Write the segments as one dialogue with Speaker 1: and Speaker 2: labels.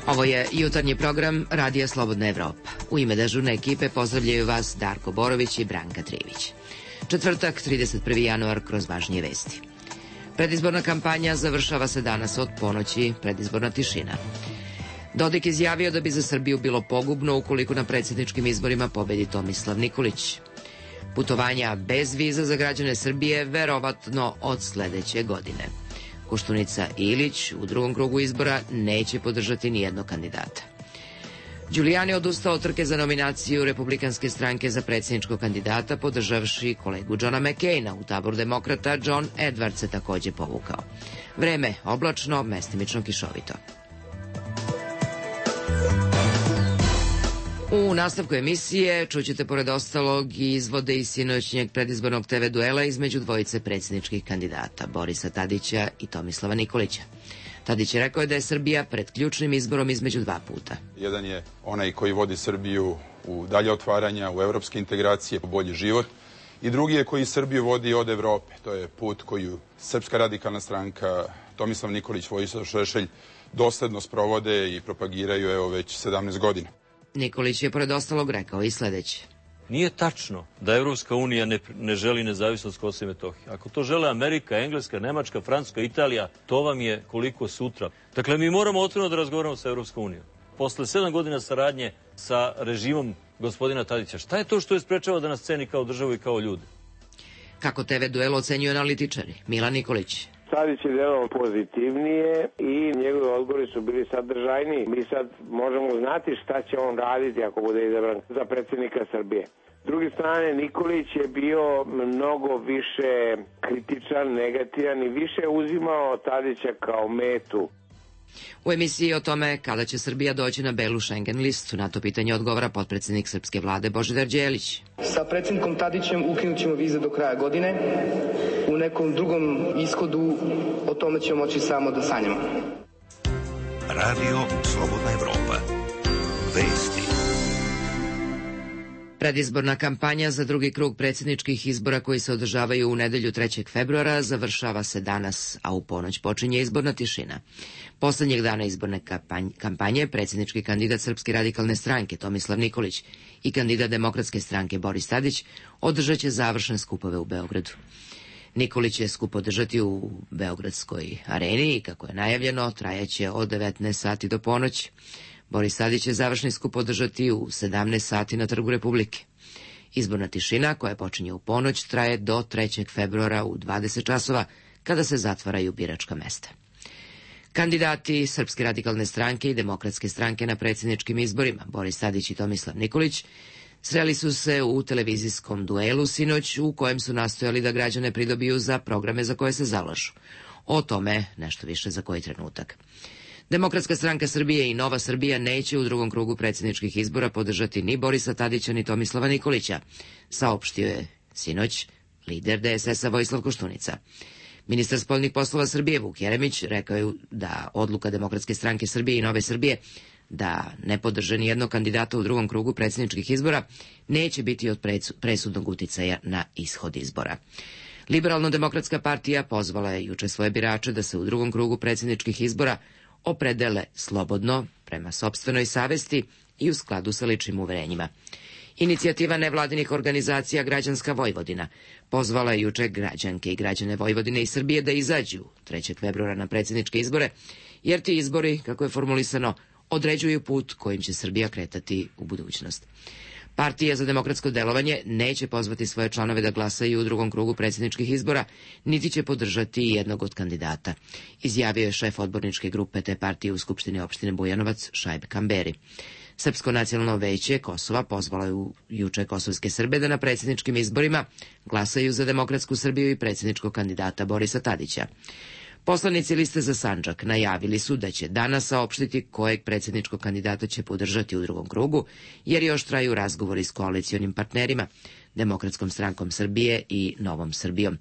Speaker 1: Ovo je jutarnji program Radija Slobodna Evropa. U ime dežurne ekipe pozdravljaju vas Darko Borović i Branka Trivić. Četvrtak, 31. januar, kroz važnije vesti. Predizborna kampanja završava se danas od ponoći, predizborna tišina. Dodik izjavio da bi za Srbiju bilo pogubno ukoliko na predsjedničkim izborima pobedi Tomislav Nikolić. Putovanja bez viza za građane Srbije verovatno od sledeće godine. Koštunica i Ilić u drugom krugu izbora neće podržati nijednog kandidata. Giuliani odustao od trke za nominaciju Republikanske stranke za predsjedničkog kandidata, podržavši kolegu Johna McCaina. U taboru demokrata John Edwards se takođe povukao. Vreme oblačno, mestimično kišovito. U nastavku emisije čućete pored ostalog i izvode iz sinoćnjeg predizbornog TV duela između dvojice predsjedničkih kandidata, Borisa Tadića i Tomislava Nikolića. Tadić je rekao da je Srbija pred ključnim izborom između dva puta.
Speaker 2: Jedan je onaj koji vodi Srbiju u dalje otvaranja, u evropske integracije, u bolji život. I drugi je koji Srbiju vodi od Evrope. To je put koju Srpska radikalna stranka, Tomislav Nikolić, Vojislav Šešelj dosledno sprovode i propagiraju evo već 17 godina.
Speaker 1: Nikolić je pored ostalog rekao i sledeće.
Speaker 3: Nije tačno da Evropska unija ne želi nezavisnost Kosova i Metohije. Ako to žele Amerika, Engleska, Nemačka, Francuska, Italija, to vam je koliko sutra. Dakle, mi moramo otvoreno da razgovaramo sa Evropskom unijom. Posle 7 godina saradnje sa režimom gospodina Tadića, šta je to što je sprečava da nas ceni kao državu i kao ljude?
Speaker 1: Kako TV duel ocenjuju analitičari? Milan Nikolić.
Speaker 4: Tadić je delao pozitivnije i njegovi odgovori su bili sadržajniji. Mi sad možemo znati šta će on raditi ako bude izabran za predsjednika Srbije. S druge strane, Nikolić je bio mnogo više kritičan, negativan i više uzimao Tadića kao metu.
Speaker 1: U emisiji o tome kada će Srbija doći na belu Schengen listu, na to pitanje odgovara potpredsjednik srpske vlade Božidar Đelić.
Speaker 5: Sa predsjednikom Tadićem ukinut ćemo vize do kraja godine. U nekom drugom ishodu o tome ćemo moći samo da sanjamo.
Speaker 6: Radio Slobodna Evropa. Vesti.
Speaker 1: Predizborna kampanja za drugi krug predsjedničkih izbora koji se održavaju u nedelju 3. februara završava se danas, a u ponoć počinje izborna tišina. Poslednjeg dana izborne kampanje predsjednički kandidat Srpske radikalne stranke Tomislav Nikolić i kandidat Demokratske stranke Boris Tadić održat će završne skupove u Beogradu. Nikolić je skup održati u Beogradskoj areni i, kako je najavljeno, trajaće od 19 sati do ponoći. Boris Tadić će završni skup održati u 17 sati na Trgu Republike. Izborna tišina, koja počinje u ponoć, traje do 3. februara u 20 časova, kada se zatvaraju biračka mesta. Kandidati Srpske radikalne stranke i Demokratske stranke na predsjedničkim izborima, Boris Tadić i Tomislav Nikolić, sreli su se u televizijskom duelu sinoć u kojem su nastojali da građane pridobiju za programe za koje se zalažu. O tome nešto više za koji trenutak. Demokratska stranka Srbije i Nova Srbija neće u drugom krugu predsjedničkih izbora podržati ni Borisa Tadića ni Tomislava Nikolića, saopštio je sinoć lider DSS-a Vojislav Koštunica. Ministar spoljnih poslova Srbije Vuk Jeremić rekao je da odluka Demokratske stranke Srbije i Nove Srbije da ne podrže nijednog kandidata u drugom krugu predsjedničkih izbora neće biti od presudnog uticaja na ishod izbora. Liberalno-demokratska partija pozvala je juče svoje birače da se u drugom krugu predsjedničkih izbora opredele slobodno, prema sopstvenoj savesti i u skladu sa ličnim uverenjima. Inicijativa nevladinih organizacija Građanska Vojvodina pozvala je juče građanke i građane Vojvodine i Srbije da izađu 3. februara na predsjedničke izbore, jer ti izbori, kako je formulisano, određuju put kojim će Srbija kretati u budućnost. Partija za demokratsko delovanje neće pozvati svoje članove da glasaju u drugom krugu predsjedničkih izbora, niti će podržati jednog od kandidata, izjavio je šef odborničke grupe te partije u Skupštini opštine Bujanovac Šaib Kamberi. Srpsko nacionalno veće Kosova pozvalo je juče kosovske Srbe da na predsjedničkim izborima glasaju za Demokratsku Srbiju i predsjedničkog kandidata Borisa Tadića. Poslanici liste za Sandžak najavili su da će danas saopštiti kojeg predsjedničkog kandidata će podržati u drugom krugu, jer još traju razgovori s koalicionim partnerima, Demokratskom strankom Srbije i Novom Srbijom.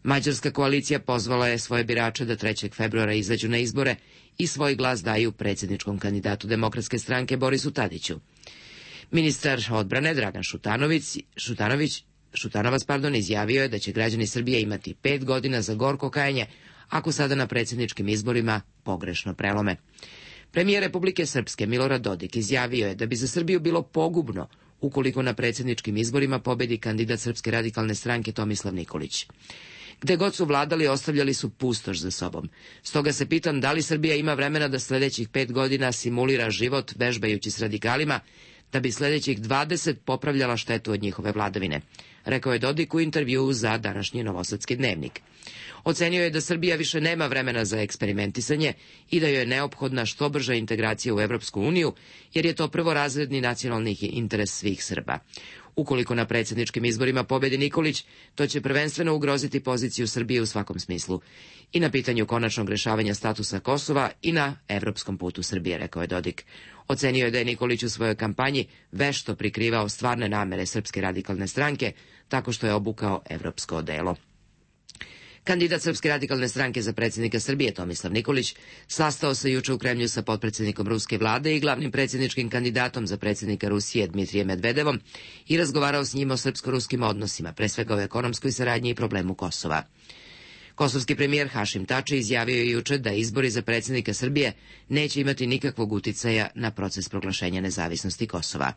Speaker 1: Mađarska koalicija pozvala je svoje birače da 3. februara izađu na izbore i svoj glas daju predsjedničkom kandidatu Demokratske stranke Borisu Tadiću. Ministar odbrane Dragan Šutanovac izjavio je da će građani Srbije imati 5 godina za gorko kajanje ako sada na predsjedničkim izborima pogrešno prelome. Premijer Republike Srpske Milorad Dodik izjavio je da bi za Srbiju bilo pogubno ukoliko na predsjedničkim izborima pobedi kandidat Srpske radikalne stranke Tomislav Nikolić. Gde god su vladali, ostavljali su pustoš za sobom. Stoga se pitam da li Srbija ima vremena da sljedećih 5 godina simulira život vežbajući s radikalima, da bi sljedećih 20 popravljala štetu od njihove vladavine, rekao je Dodik u intervjuu za današnji Novosadski dnevnik. Ocenio je da Srbija više nema vremena za eksperimentisanje i da joj je neophodna što brža integracija u Evropsku uniju, jer je to prvorazredni nacionalni interes svih Srba. Ukoliko na predsjedničkim izborima pobedi Nikolić, to će prvenstveno ugroziti poziciju Srbije u svakom smislu. I na pitanju konačnog rješavanja statusa Kosova i na evropskom putu Srbije, rekao je Dodik. Ocenio je da je Nikolić u svojoj kampanji vešto prikrivao stvarne namere Srpske radikalne stranke tako što je obukao evropsko odelo. Kandidat Srpske radikalne stranke za predsjednika Srbije Tomislav Nikolić sastao se juče u Kremlju sa potpredsjednikom ruske vlade i glavnim predsjedničkim kandidatom za predsjednika Rusije Dmitrijem Medvedevom i razgovarao s njim o srpsko-ruskim odnosima, pre svega o ekonomskoj saradnji i problemu Kosova. Kosovski premijer Hašim Tači izjavio je juče da izbori za predsjednika Srbije neće imati nikakvog uticaja na proces proglašenja nezavisnosti Kosova.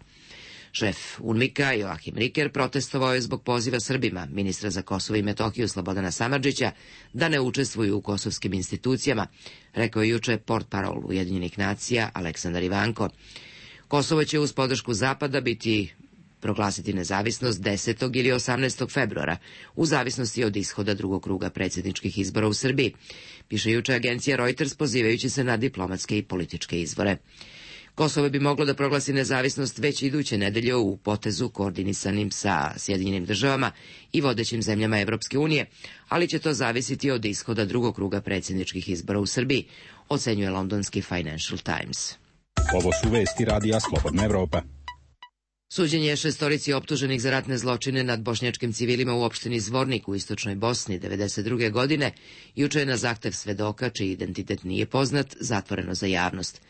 Speaker 1: Šef UNMIK-a Joachim Riker protestovao je zbog poziva Srbima, ministra za Kosovo i Metohiju Slobodana Samardžića, da ne učestvuju u kosovskim institucijama, rekao je juče portparol Ujedinjenih nacija Aleksandar Ivanko. Kosovo će uz podršku Zapada proglasiti nezavisnost 10. ili 18. februara, u zavisnosti od ishoda drugog kruga predsjedničkih izbora u Srbiji, piše juče agencija Reuters pozivajući se na diplomatske i političke izvore. Kosovo bi moglo da proglasi nezavisnost već iduće nedelje u potezu koordinisanim sa Sjedinjenim državama i vodećim zemljama Evropske unije, ali će to zavisiti od ishoda drugog kruga predsjedničkih izbora u Srbiji, ocenjuje londonski Financial Times.
Speaker 7: Ovo su vesti Radija Slobodna Evropa.
Speaker 1: Suđenje 6 optuženih za ratne zločine nad bošnjačkim civilima u opštini Zvornik u istočnoj Bosni 1992. godine juče je na zahtev svedoka, čiji identitet nije poznat, zatvoreno za javnost.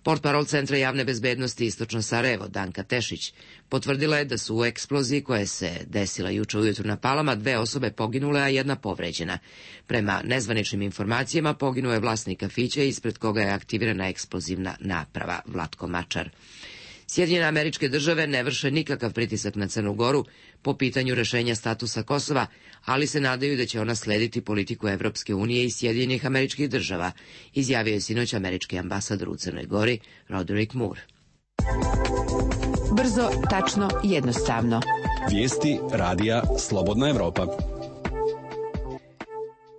Speaker 1: Portparol Centra javne bezbednosti Istočno Sarajevo, Danka Tešić, potvrdila je da su u eksploziji koja se desila juče ujutru na Palama 2 osobe poginule, a 1 povređena. Prema nezvaničnim informacijama poginuo je vlasnik kafića ispred koga je aktivirana eksplozivna naprava, Vlatko Mačar. Sjedinjene Američke Države ne vrše nikakav pritisak na Crnu Goru po pitanju rešenja statusa Kosova, ali se nadaju da će ona slediti politiku Evropske unije i Sjedinjenih Američkih Država, izjavio je sinoć američki ambasador u Crnoj Gori, Roderick Moore.
Speaker 8: Brzo, tačno, jednostavno.
Speaker 7: Vijesti Radija Slobodna Evropa.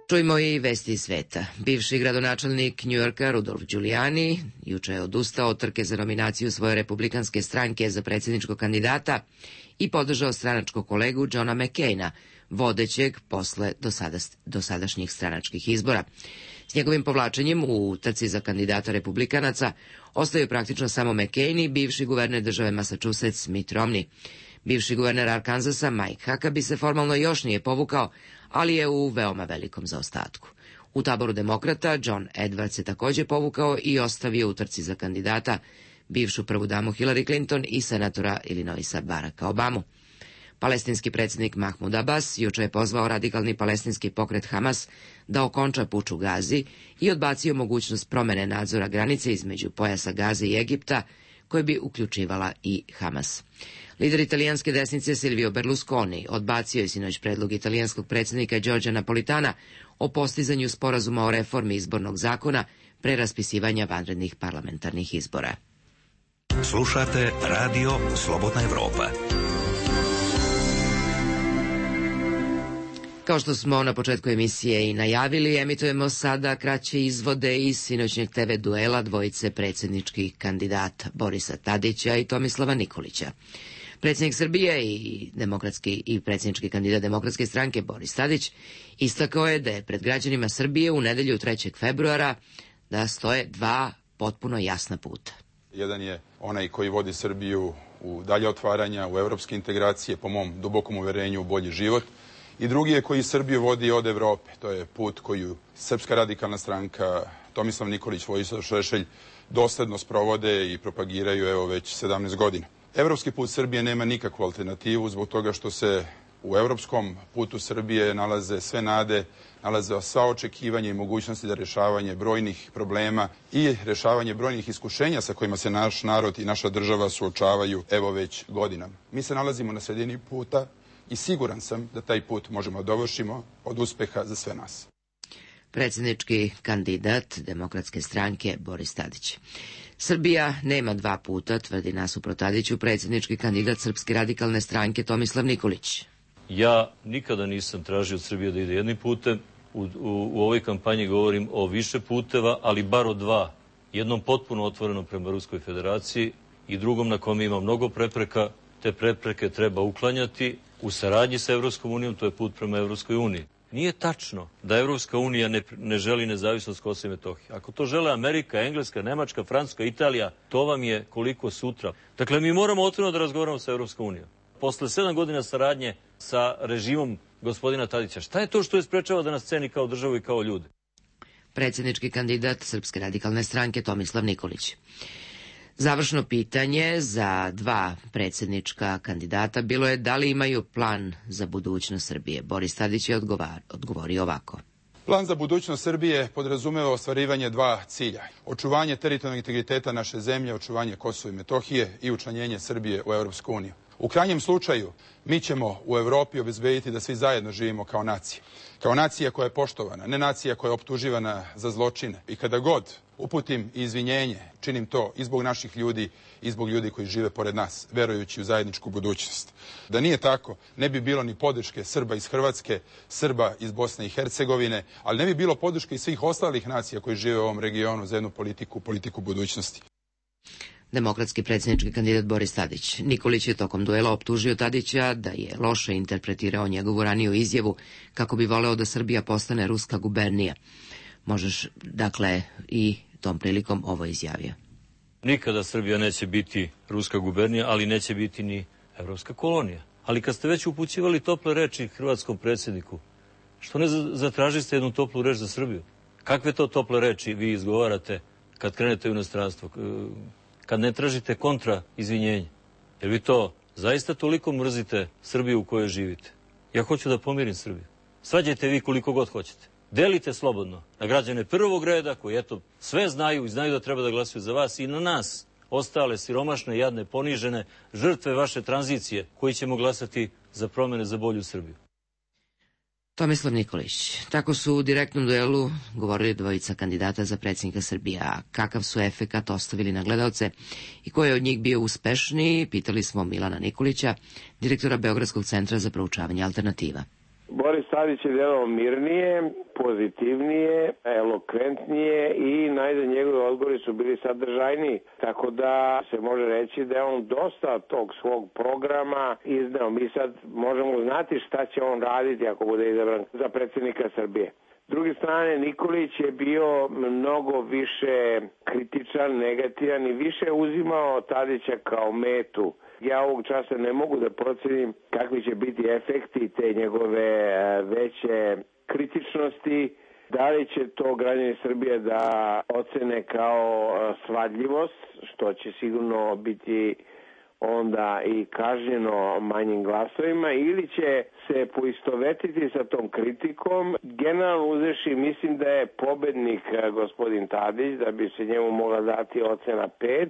Speaker 1: Čujmo i vesti iz sveta. Bivši gradonačelnik Njujorka Rudolf Giuliani juče je odustao od trke za nominaciju svoje republikanske stranke za predsjedničkog kandidata i podržao stranačkog kolegu Johna McCaina, vodećeg posle dosadašnjih stranačkih izbora. S njegovim povlačenjem u trci za kandidata republikanaca ostaju praktično samo McCain i bivši guverner države Massachusetts Mitt Romney. Bivši guverner Arkansasa Mike Huckabee se formalno još nije povukao, ali je u veoma velikom zaostatku. U taboru demokrata John Edwards se također povukao i ostavio u trci za kandidata bivšu prvu damu Hillary Clinton i senatora Illinoisa Baracka Obamu. Palestinski predsjednik Mahmud Abbas juče je pozvao radikalni palestinski pokret Hamas da okonča puč u Gazi i odbacio mogućnost promene nadzora granice između pojasa Gaze i Egipta, koje bi uključivala i Hamas. Lider italijanske desnice Silvio Berlusconi odbacio je sinoć predlog italijanskog predsjednika Giorgia Napolitana o postizanju sporazuma o reformi izbornog zakona pre raspisivanja vanrednih parlamentarnih izbora.
Speaker 6: Slušate Radio Slobodna Evropa.
Speaker 1: Kao što smo na početku emisije i najavili, emitujemo sada kraće izvode iz sinoćnjeg TV duela dvojice predsjedničkih kandidata Borisa Tadića i Tomislava Nikolića. Predsjednik Srbije i predsjednički kandidat Demokratske stranke Boris Tadić istakao je da je pred građanima Srbije u nedelju 3. februara da stoje 2 potpuno jasna puta.
Speaker 2: Jedan je onaj koji vodi Srbiju u dalje otvaranja, u evropske integracije, po mom dubokom uverenju u bolji život. I drugi je koji Srbiju vodi od Evrope. To je put koju Srpska radikalna stranka, Tomislav Nikolić, Vojislav Šešelj dosledno sprovode i propagiraju već 17 godina. Evropski put Srbije nema nikakvu alternativu zbog toga što se U evropskom putu Srbije nalaze sve nade, nalaze sva očekivanja i mogućnosti za rešavanje brojnih problema i rešavanje brojnih iskušenja sa kojima se naš narod i naša država suočavaju evo već godinama. Mi se nalazimo na sredini puta i siguran sam da taj put možemo dovršimo od uspeha za sve nas.
Speaker 1: Predsjednički kandidat Demokratske stranke Boris Tadić. Srbija nema dva puta, tvrdi nasuprot Tadiću predsjednički kandidat Srpske radikalne stranke Tomislav Nikolić.
Speaker 3: Ja nikada nisam tražio od Srbije da ide jednim putem. U ovoj kampanji govorim o više puteva, ali bar o dva. Jednom potpuno otvorenom prema Ruskoj federaciji i drugom na kome ima mnogo prepreka. Te prepreke treba uklanjati u saradnji sa Evropskom unijom, to je put prema Evropskoj uniji. Nije tačno da Evropska unija ne želi nezavisnost Kosova i Metohije. Ako to žele Amerika, Engleska, Nemačka, Francuska, Italija, to vam je koliko sutra. Dakle, mi moramo otvoreno da razgovaramo sa Evropskom unijom. Posle 7 godina saradnje sa režimom gospodina Tadića, šta je to što je sprečava da nas ceni kao državu i kao ljude?
Speaker 1: Predsjednički kandidat Srpske radikalne stranke Tomislav Nikolić. Završno pitanje za dva predsjednička kandidata bilo je da li imaju plan za budućnost Srbije. Boris Tadić je odgovorio ovako.
Speaker 2: Plan za budućnost Srbije podrazumeva ostvarivanje dva cilja. Očuvanje teritorijalnog integriteta naše zemlje, očuvanje Kosova i Metohije i učlanjenje Srbije u Evropsku uniju. U krajnjem slučaju, mi ćemo u Evropi obezbediti da svi zajedno živimo kao nacija. Kao nacija koja je poštovana, ne nacija koja je optuživana za zločine. I kada god uputim izvinjenje, činim to i zbog naših ljudi i zbog ljudi koji žive pored nas, verujući u zajedničku budućnost. Da nije tako, ne bi bilo ni podrške Srba iz Hrvatske, Srba iz Bosne i Hercegovine, ali ne bi bilo podrške i svih ostalih nacija koji žive u ovom regionu za jednu politiku budućnosti.
Speaker 1: Demokratski predsjednički kandidat Boris Tadić. Nikolić je tokom duela optužio Tadića da je loše interpretirao njegovu raniju izjavu kako bi voleo da Srbija postane ruska gubernija. Možeš, dakle, i tom prilikom ovo izjavio.
Speaker 3: Nikada Srbija neće biti ruska gubernija, ali neće biti ni evropska kolonija. Ali kad ste već upućivali tople reči hrvatskom predsjedniku, što ne zatražiste jednu toplu reč za Srbiju? Kakve to tople reči vi izgovarate kad krenete u inostranstvo? Kad ne tražite kontra izvinjenja? Jer vi to zaista toliko mrzite Srbiju u kojoj živite? Ja hoću da pomirim Srbiju. Svađajte vi koliko god hoćete. Delite slobodno na građane prvog reda koji eto sve znaju i znaju da treba da glasuju za vas i na nas, ostale siromašne, jadne, ponižene, žrtve vaše tranzicije koji ćemo glasati za promene za bolju Srbiju.
Speaker 1: Tomislav Nikolić. Tako su u direktnom duelu govorili dvojica kandidata za predsjednika Srbije. A kakav su efekat ostavili na gledalce i ko je od njih bio uspešniji, pitali smo Milana Nikolića, direktora Beogradskog centra za proučavanje alternativa.
Speaker 4: Boris Tadić je delao mirnije, pozitivnije, elokventnije i najde njegovi odgovori su bili sadržajniji. Tako da se može reći da je on dosta tog svog programa izneo. Mi sad možemo znati šta će on raditi ako bude izabran za predsjednika Srbije. S druge strane, Nikolić je bio mnogo više kritičan, negativan i više uzimao Tadića kao metu. Ja ovog časa ne mogu da procenim kakvi će biti efekti te njegove veće kritičnosti. Da li će to građani Srbije da ocene kao svadljivost, što će sigurno biti onda i kažnjeno manjim glasovima, ili će se poistovetiti sa tom kritikom. Generalno uzevši, mislim da je pobednik gospodin Tadić, da bi se njemu mogla dati ocena 5,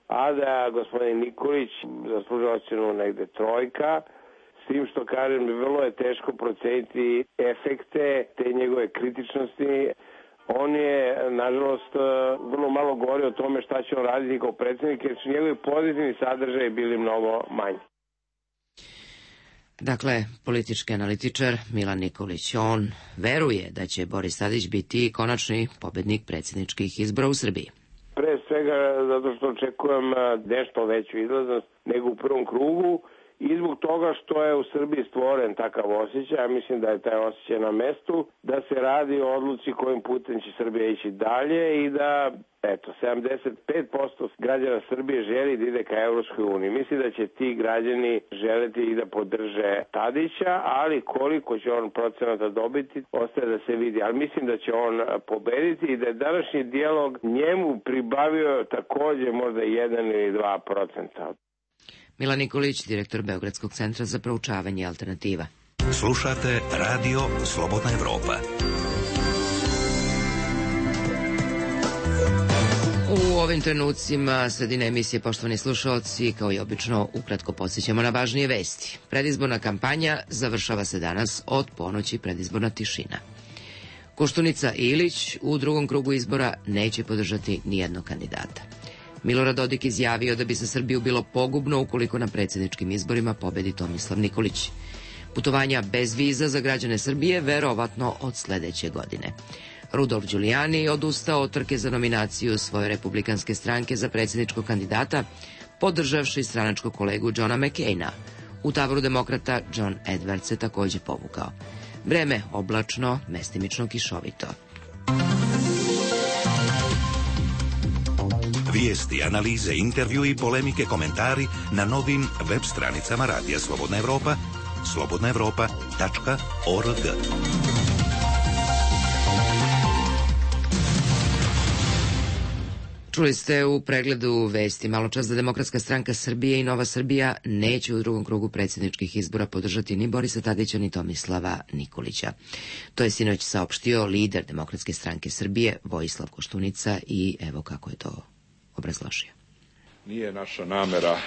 Speaker 4: a da gospodin Nikolić zaslužuje ocenu negde 3, s tim što kažem, vrlo je teško proceniti efekte te njegove kritičnosti. On je, nažalost, vrlo malo govori o tome šta će on raditi kao predsjednik, jer su njegovi pozitivni sadržaji bili mnogo manji.
Speaker 1: Dakle, politički analitičar Milan Nikolić, on veruje da će Boris Tadić biti konačni pobednik predsjedničkih izbora u Srbiji.
Speaker 4: Pre svega zato što očekujem nešto veću izlaznost nego u prvom krugu i zbog toga što je u Srbiji stvoren takav osjećaj, ja mislim da je taj osjećaj na mestu, da se radi o odluci kojim putem će Srbija ići dalje i da, 75% građana Srbije želi da ide ka Evropskoj uniji. Mislim da će ti građani želeti i da podrže Tadića, ali koliko će on procenata dobiti, ostaje da se vidi. Ali mislim da će on pobediti i da je današnji dijalog njemu pribavio takođe možda 1 ili 2%.
Speaker 1: Milan Nikolić, direktor Beogradskog centra za proučavanje alternativa.
Speaker 6: Slušate Radio Slobodna Evropa.
Speaker 1: U ovim trenucima sredine emisije, poštovani slušaoci, kao i obično, ukratko podsjećamo na važnije vesti. Predizborna kampanja završava se danas, od ponoći predizborna tišina. Koštunica i Ilić u drugom krugu izbora neće podržati nijednog kandidata. Milorad Dodik izjavio da bi za Srbiju bilo pogubno ukoliko na predsjedničkim izborima pobedi Tomislav Nikolić. Putovanja bez viza za građane Srbije verovatno od sledeće godine. Rudolf Giuliani odustao od trke za nominaciju svoje republikanske stranke za predsjedničkog kandidata, podržavši stranačkog kolegu Johna McCaina. U taboru demokrata John Edwards se takođe povukao. Vreme oblačno, mestimično kišovito.
Speaker 6: Vijesti, analize, intervju i polemike, komentari na novim web stranicama Radija Slobodna Evropa, slobodnaevropa.org.
Speaker 1: Čuli ste u pregledu vesti maločas da Demokratska stranka Srbije i Nova Srbija neće u drugom krugu predsjedničkih izbora podržati ni Borisa Tadića ni Tomislava Nikolića. To je sinoć saopštio lider Demokratske stranke Srbije Vojislav Koštunica i evo kako je to obrazložio.
Speaker 9: Nije naša namera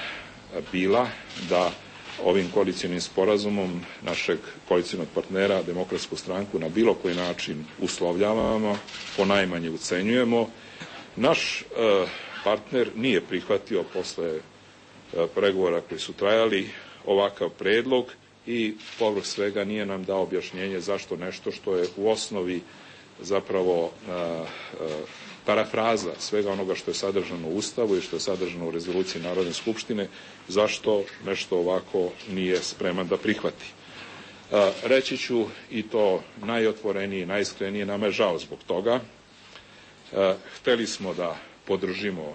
Speaker 9: bila da ovim koalicionim sporazumom našeg koalicionog partnera Demokratsku stranku na bilo koji način uslovljavamo, ponajmanje ucenjujemo. Naš partner nije prihvatio posle pregovora koji su trajali ovakav predlog i povrh svega nije nam dao objašnjenje zašto nešto što je u osnovi zapravo parafraza svega onoga što je sadržano u Ustavu i što je sadržano u rezoluciji Narodne skupštine, zašto nešto ovako nije spreman da prihvati. Reći ću i to najotvorenije, najiskrenije, nama je žao zbog toga. Hteli smo da podržimo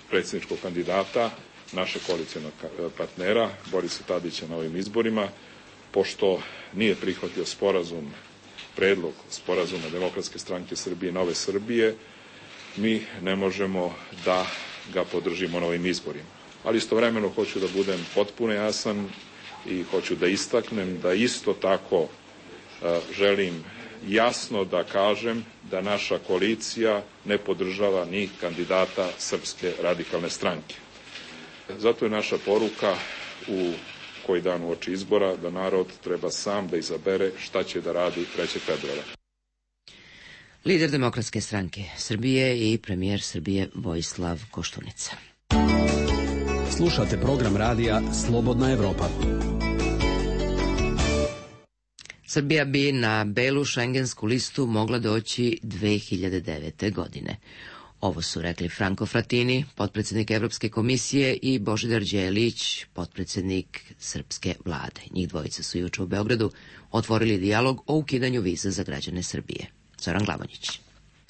Speaker 9: predsjedničkog kandidata, našeg koalicionog partnera, Borisa Tadića na ovim izborima, pošto nije prihvatio predlog sporazuma Demokratske stranke Srbije i Nove Srbije, mi ne možemo da ga podržimo na ovim izborima. Ali istovremeno hoću da budem potpuno jasan i hoću da istaknem da isto tako želim jasno da kažem da naša koalicija ne podržava ni kandidata Srpske radikalne stranke. Zato je naša poruka u koji dan uoči izbora da narod treba sam da izabere šta će da radi 3. februara.
Speaker 1: Lider Demokratske stranke Srbije i premijer Srbije Vojislav Koštunica.
Speaker 7: Slušate program radija Slobodna Evropa.
Speaker 1: Srbija bi na belu šengensku listu mogla doći 2009. godine. Ovo su rekli Franco Frattini, potpredsjednik Evropske komisije, i Božidar Đelić, potpredsjednik srpske vlade. Njih dvojica su juče u Beogradu otvorili dijalog o ukidanju viza za građane Srbije. Zoran Glavonjić.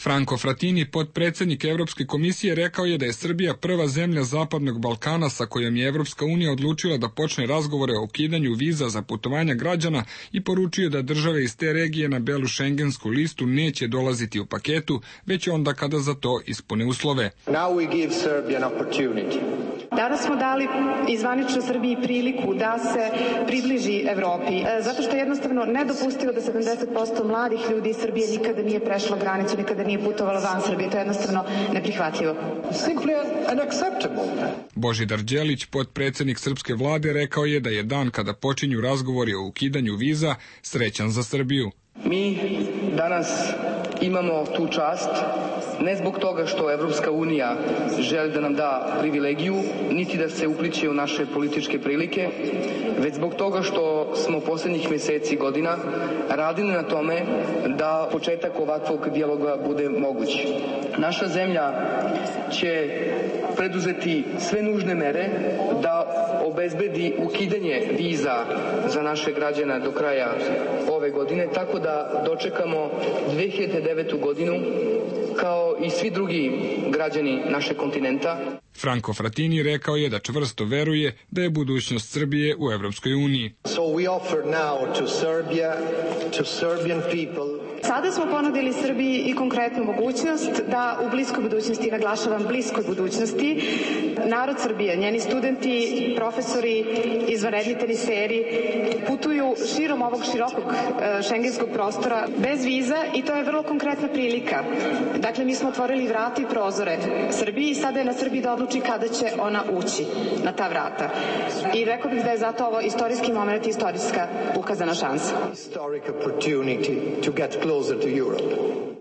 Speaker 10: Franco Frattini, potpredsjednik Evropske komisije, rekao je da je Srbija prva zemlja Zapadnog Balkana sa kojom je Evropska unija odlučila da počne razgovore o ukidanju viza za putovanja građana i poručio da države iz te regije na belu šengensku listu neće dolaziti u paketu, već onda kada za to ispune uslove.
Speaker 11: Danas smo dali izvanično Srbiji priliku da se približi Evropi, zato što je jednostavno nedopustivo da 70% mladih ljudi iz Srbije nikada nije prešlo granicu, nikada nije putovalo van Srbije. To je jednostavno neprihvatljivo.
Speaker 10: Božidar Đelić, potpredsjednik srpske vlade, rekao je da je dan kada počinju razgovori o ukidanju viza srećan za Srbiju.
Speaker 5: Mi danas imamo tu čast ne zbog toga što Evropska unija želi da nam da privilegiju, niti da se upliće u naše političke prilike, već zbog toga što smo poslednjih meseci i godina radili na tome da početak ovakvog dijaloga bude moguć. Naša zemlja će preduzeti sve nužne mere da obezbedi ukidanje viza za naše građane do kraja ove godine, tako da dočekamo 2009. godinu kao i svi drugi građani našeg kontinenta.
Speaker 10: Franco Frattini rekao je da čvrsto veruje da je budućnost Srbije u Evropskoj uniji.
Speaker 11: Sada smo ponudili Srbiji i konkretnu mogućnost da u bliskoj budućnosti, naglašavam bliskoj budućnosti, narod Srbije, njeni studenti, profesori, izvanredni teniseri putuju širom ovog širokog šengenskog prostora bez viza i to je vrlo konkretna prilika. Dakle, mi smo otvorili vrata i prozore Srbiji i sada je na Srbiji da odluči kada će ona ući na ta vrata. I rekao bih da je zato ovo istorijski moment i istorijska ukazana šansa.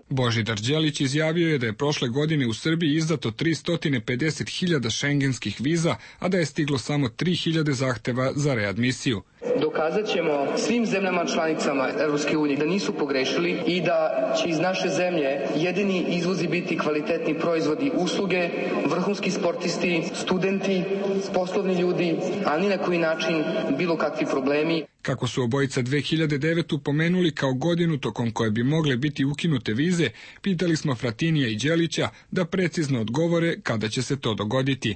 Speaker 10: Božidar Đelić izjavio je da je prošle godine u Srbiji izdato 350.000 šengenskih viza, a da je stiglo samo 3.000 zahteva za readmisiju.
Speaker 5: Dokazat ćemo svim zemljama članicama Evropske unije da nisu pogrešili i da će iz naše zemlje jedini izvozi biti kvalitetni proizvodi, usluge, vrhunski sportisti, studenti, poslovni ljudi, a ni na koji način bilo kakvi problemi.
Speaker 10: Kako su obojica 2009. pomenuli kao godinu tokom koje bi mogle biti ukinute vize, pitali smo Fratinija i Đelića da precizno odgovore kada će se to dogoditi.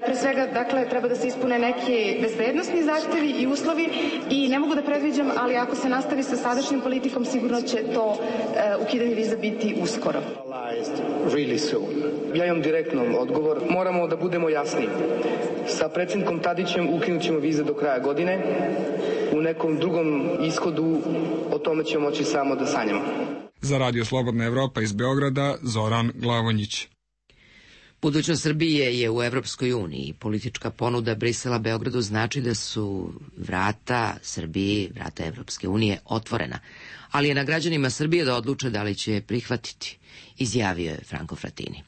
Speaker 11: Pre svega, dakle, treba da se ispune neki bezbednosni zahtevi i uslovi i ne mogu da predviđam, ali ako se nastavi sa sadašnjom politikom, sigurno će to ukidanje viza biti uskoro.
Speaker 5: Ja imam direktno odgovor. Moramo da budemo jasni. Sa predsjednikom Tadićem ukinut ćemo vize do kraja godine. U nekom drugom ishodu o tome ćemo moći samo da sanjamo.
Speaker 10: Za Radio Slobodna Evropa iz Beograda, Zoran Glavonjić.
Speaker 1: Budućnost Srbije je u Evropskoj uniji. Politička ponuda Brisela Beogradu znači da su vrata Srbiji, vrata Evropske unije, otvorena. Ali je na građanima Srbije da odluče da li će je prihvatiti, izjavio je Franko Fratini.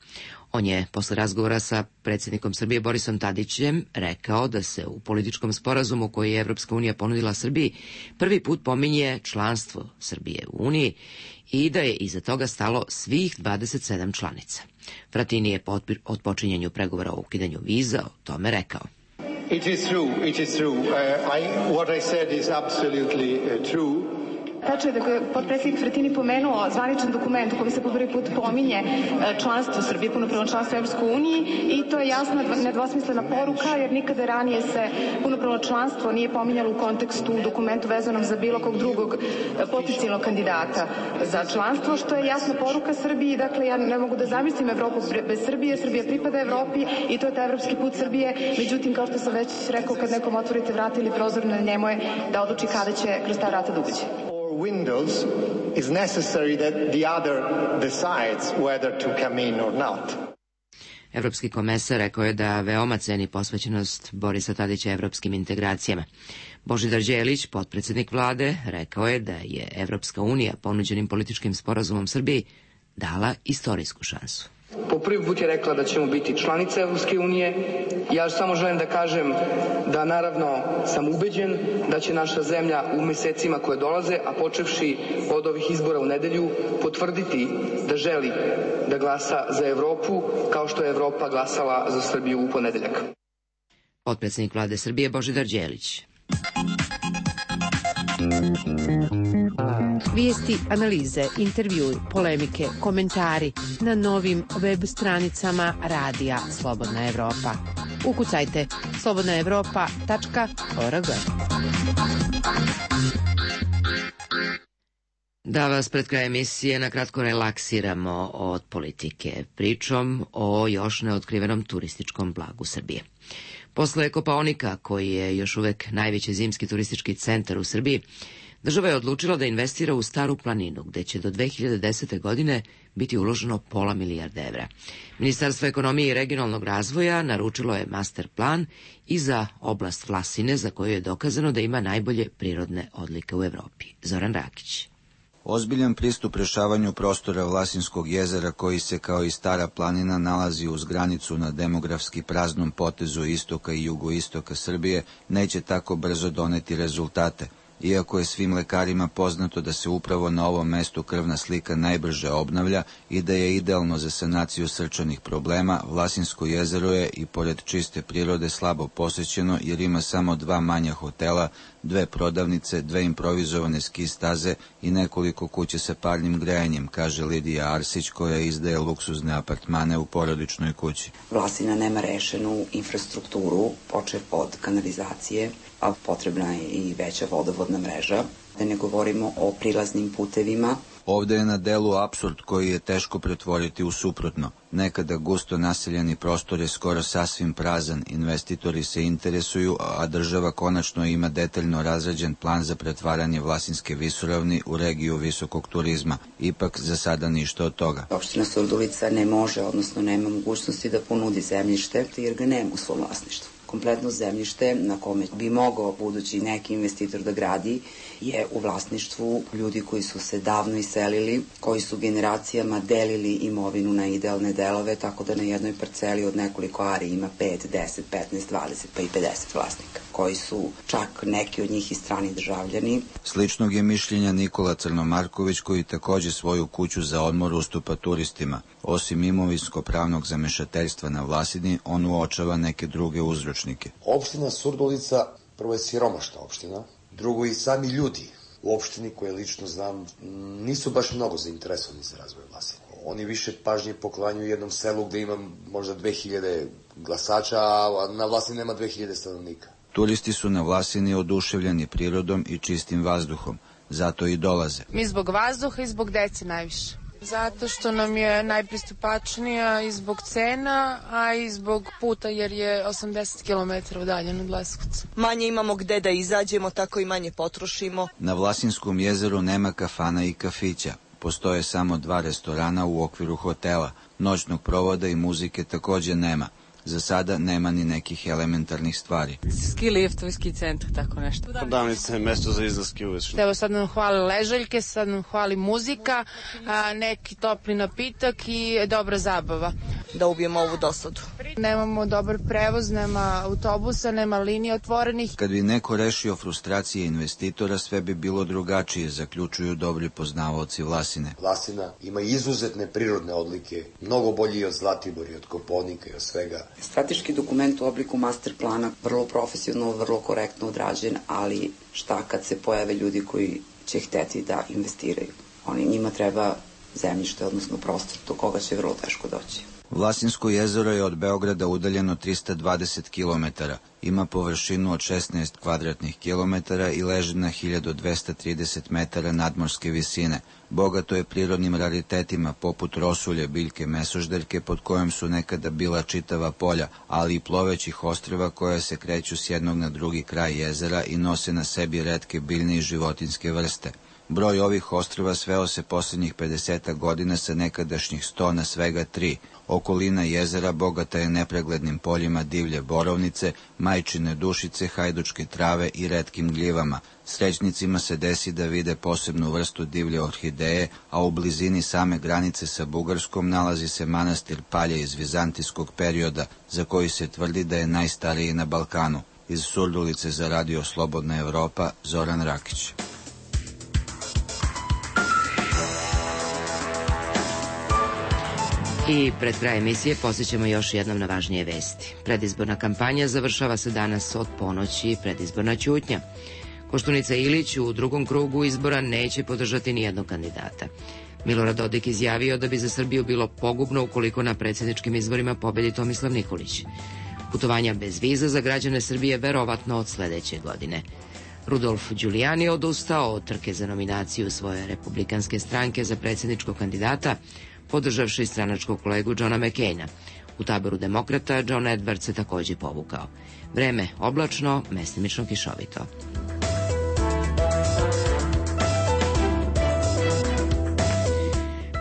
Speaker 1: On je posle razgovora sa predsjednikom Srbije Borisom Tadićem rekao da se u političkom sporazumu koji je Evropska unija ponudila Srbiji prvi put pominje članstvo Srbije u Uniji i da je iza toga stalo svih 27 članica. Fratini je po otpočinjanju pregovora o ukidanju viza o tome rekao.
Speaker 12: It is true. What I said is absolutely true.
Speaker 11: Tačno je da je potpredsjednik Fratini pomenuo zvaničan dokument u kojem se po prvi put pominje članstvo Srbije, punopravno članstvo u Evropskoj uniji i to je jasna, nedvosmislena poruka, jer nikada ranije se punopravno članstvo nije pominjalo u kontekstu dokumentu vezanom za bilo kog drugog potencijalnog kandidata za članstvo, što je jasna poruka Srbiji. Dakle, ja ne mogu da zamislim Evropu bez Srbije, Srbija pripada Evropi i to je taj evropski put Srbije. Međutim, kao što sam već rekao, kad nekom otvorite vrata ili prozor, na njemu je da odluči kada će kroz ta vrata da uđe.
Speaker 12: Windows is necessary that the other decides whether to come in or not.
Speaker 1: Evropski komesar rekao je da veoma ceni posvećenost Borisa Tadića evropskim integracijama. Božidar Đelić, potpredsjednik vlade, rekao je da je Evropska unija ponuđenim političkim sporazumom Srbiji dala istorijsku šansu.
Speaker 5: Po prvi put je rekla da ćemo biti članice Evropske unije. Ja samo želim da kažem da naravno sam ubeđen da će naša zemlja u mesecima koje dolaze, a počevši od ovih izbora u nedelju, potvrditi da želi da glasa za Evropu kao što je Evropa glasala za Srbiju u ponedeljak.
Speaker 1: Potpredsjednik vlade Srbije Božidar Đelić.
Speaker 8: Vijesti, analize, intervjui, polemike, komentari na novim web stranicama Radija Slobodna Evropa. Ukucajte slobodnaevropa.org.
Speaker 1: Da vas pred kraj emisije na kratko relaksiramo od politike pričom o još neotkrivenom turističkom blagu Srbije. Posle Kopaonika, koji je još uvek najveći zimski turistički centar u Srbiji, država je odlučila da investira u Staru planinu, gde će do 2010. godine biti uloženo pola milijarde evra. Ministarstvo ekonomije i regionalnog razvoja naručilo je master plan i za oblast Vlasine, za koju je dokazano da ima najbolje prirodne odlike u Evropi. Zoran Rakić.
Speaker 13: Ozbiljan pristup rešavanju prostora Vlasinskog jezera, koji se kao i Stara planina nalazi uz granicu na demografski praznom potezu istoka i jugoistoka Srbije, neće tako brzo doneti rezultate. Iako je svim lekarima poznato da se upravo na ovom mestu krvna slika najbrže obnavlja i da je idealno za sanaciju srčanih problema, Vlasinsko jezero je i pored čiste prirode slabo posećeno jer ima samo 2 manja hotela, 2 prodavnice, 2 improvizovane ski staze i nekoliko kuće sa parnim grejanjem, kaže Lidija Arsić, koja izdaje luksuzne apartmane u porodičnoj kući.
Speaker 14: Vlasina nema rešenu infrastrukturu, počev od kanalizacije, a potrebna je i veća vodovodna vodovodna mreža, da ne govorimo o prilaznim putevima.
Speaker 13: Ovde je na delu apsurd koji je teško pretvoriti u suprotno. Nekada gusto naseljeni prostor je skoro sasvim prazan, investitori se interesuju, a država konačno ima detaljno razrađen plan za pretvaranje Vlasinske visoravni u regiju visokog turizma. Ipak za sada ništa od toga.
Speaker 14: Opština Surdulica ne može, odnosno nema mogućnosti da ponudi zemljište jer ga nema u svom vlasništvu. Kompletno zemljište na kome bi mogao budući neki investitor da gradi je u vlasništvu ljudi koji su se davno iselili, koji su generacijama delili imovinu na idealne delove, tako da na jednoj parceli od nekoliko ari ima 5, 10, 15, 20 pa i 50 vlasnika, koji su čak neki od njih i strani državljani.
Speaker 13: Sličnog je mišljenja Nikola Crnomarković, koji takođe svoju kuću za odmor ustupa turistima. Osim imovinsko-pravnog zamešateljstva na Vlasini, on uočava neke druge uzročnike.
Speaker 15: Opština Surdulica prvo je siromašna opština, drugo i sami ljudi u opštini koje lično znam nisu baš mnogo zainteresovani za razvoj Vlasine. Oni više pažnje poklanjuju jednom selu gde ima možda 2000 glasača, a na Vlasini nema 2000 stanovnika.
Speaker 13: Turisti su na Vlasini oduševljeni prirodom i čistim vazduhom, zato i dolaze.
Speaker 16: Mi zbog vazduha i zbog dece najviše. Zato što nam je najpristupačnija i zbog cena, a i zbog puta jer je 80 km udaljen od Leskovca.
Speaker 17: Manje imamo gde da izađemo, tako i manje potrošimo.
Speaker 13: Na Vlasinskom jezeru nema kafana i kafića. Postoje samo 2 restorana u okviru hotela. Noćnog provoda i muzike takođe nema. Za sada nema ni nekih elementarnih stvari.
Speaker 16: Ski liftovi, ski centar, tako nešto.
Speaker 18: Prodavnice je mesto za izlaske uveć.
Speaker 16: Evo sad nam hvali ležaljke, sad nam hvali muzika, neki topli napitak i dobra zabava.
Speaker 17: Da ubijemo ovu dosadu.
Speaker 16: Nemamo dobar prevoz, nema autobusa, nema linija otvorenih.
Speaker 13: Kad bi neko rešio frustracije investitora, sve bi bilo drugačije, zaključuju dobri poznavaoci Vlasine.
Speaker 15: Vlasina ima izuzetne prirodne odlike, mnogo bolji od Zlatibora i od Kopaonika i od svega.
Speaker 14: Strateški dokument u obliku master plana, vrlo profesionalno, vrlo korektno odrađen, ali šta kad se pojave ljudi koji će hteti da investiraju? Njima treba zemljište, odnosno prostor, do koga će vrlo teško doći.
Speaker 13: Vlasinsko jezero je od Beograda udaljeno 320 km, ima površinu od 16 kvadratnih kilometara i leži na 1230 metara nadmorske visine. Bogato je prirodnim raritetima poput rosulje, biljke, mesoždeljke pod kojom su nekada bila čitava polja, ali i plovećih ostrva koja se kreću s jednog na drugi kraj jezera i nose na sebi retke biljne i životinjske vrste. Broj ovih ostrva sveo se posljednjih 50 godina sa nekadašnjih 100 na svega 3. Okolina jezera bogata je nepreglednim poljima divlje borovnice, majčine dušice, hajdučke trave i retkim gljivama. Srećnicima se desi da vide posebnu vrstu divlje orhideje, a u blizini same granice sa Bugarskom nalazi se manastir Palje iz vizantijskog perioda, za koji se tvrdi da je najstariji na Balkanu. Iz Surdulice za Radio Slobodna Evropa, Zoran Rakić.
Speaker 1: I pred kraj emisije posjećamo još jednom na važnije vesti. Predizborna kampanja završava se danas od ponoći, predizborna ćutnja. Koštunica Ilić u drugom krugu izbora neće podržati nijednog kandidata. Milorad Dodik izjavio da bi za Srbiju bilo pogubno ukoliko na predsjedničkim izborima pobedi Tomislav Nikolić. Putovanja bez viza za građane Srbije verovatno od sledeće godine. Rudolf Giuliani odustao od trke za nominaciju svoje republikanske stranke za predsjedničkog kandidata, podržavši stranačkog kolegu Johna McCaina. U taboru demokrata John Edwards se takođe povukao. Vreme oblačno, mestimično kišovito.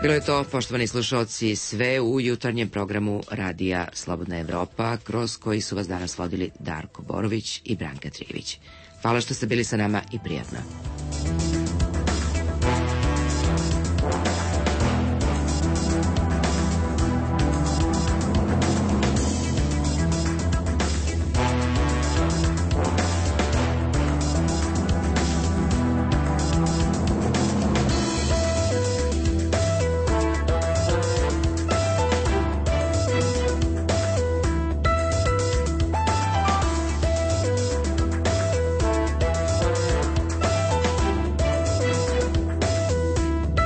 Speaker 1: Bilo je to, poštovani slušalci, sve u jutarnjem programu Radija Slobodna Evropa, kroz koji su vas danas vodili Darko Borović i Branka Trijević. Hvala što ste bili sa nama i prijatno.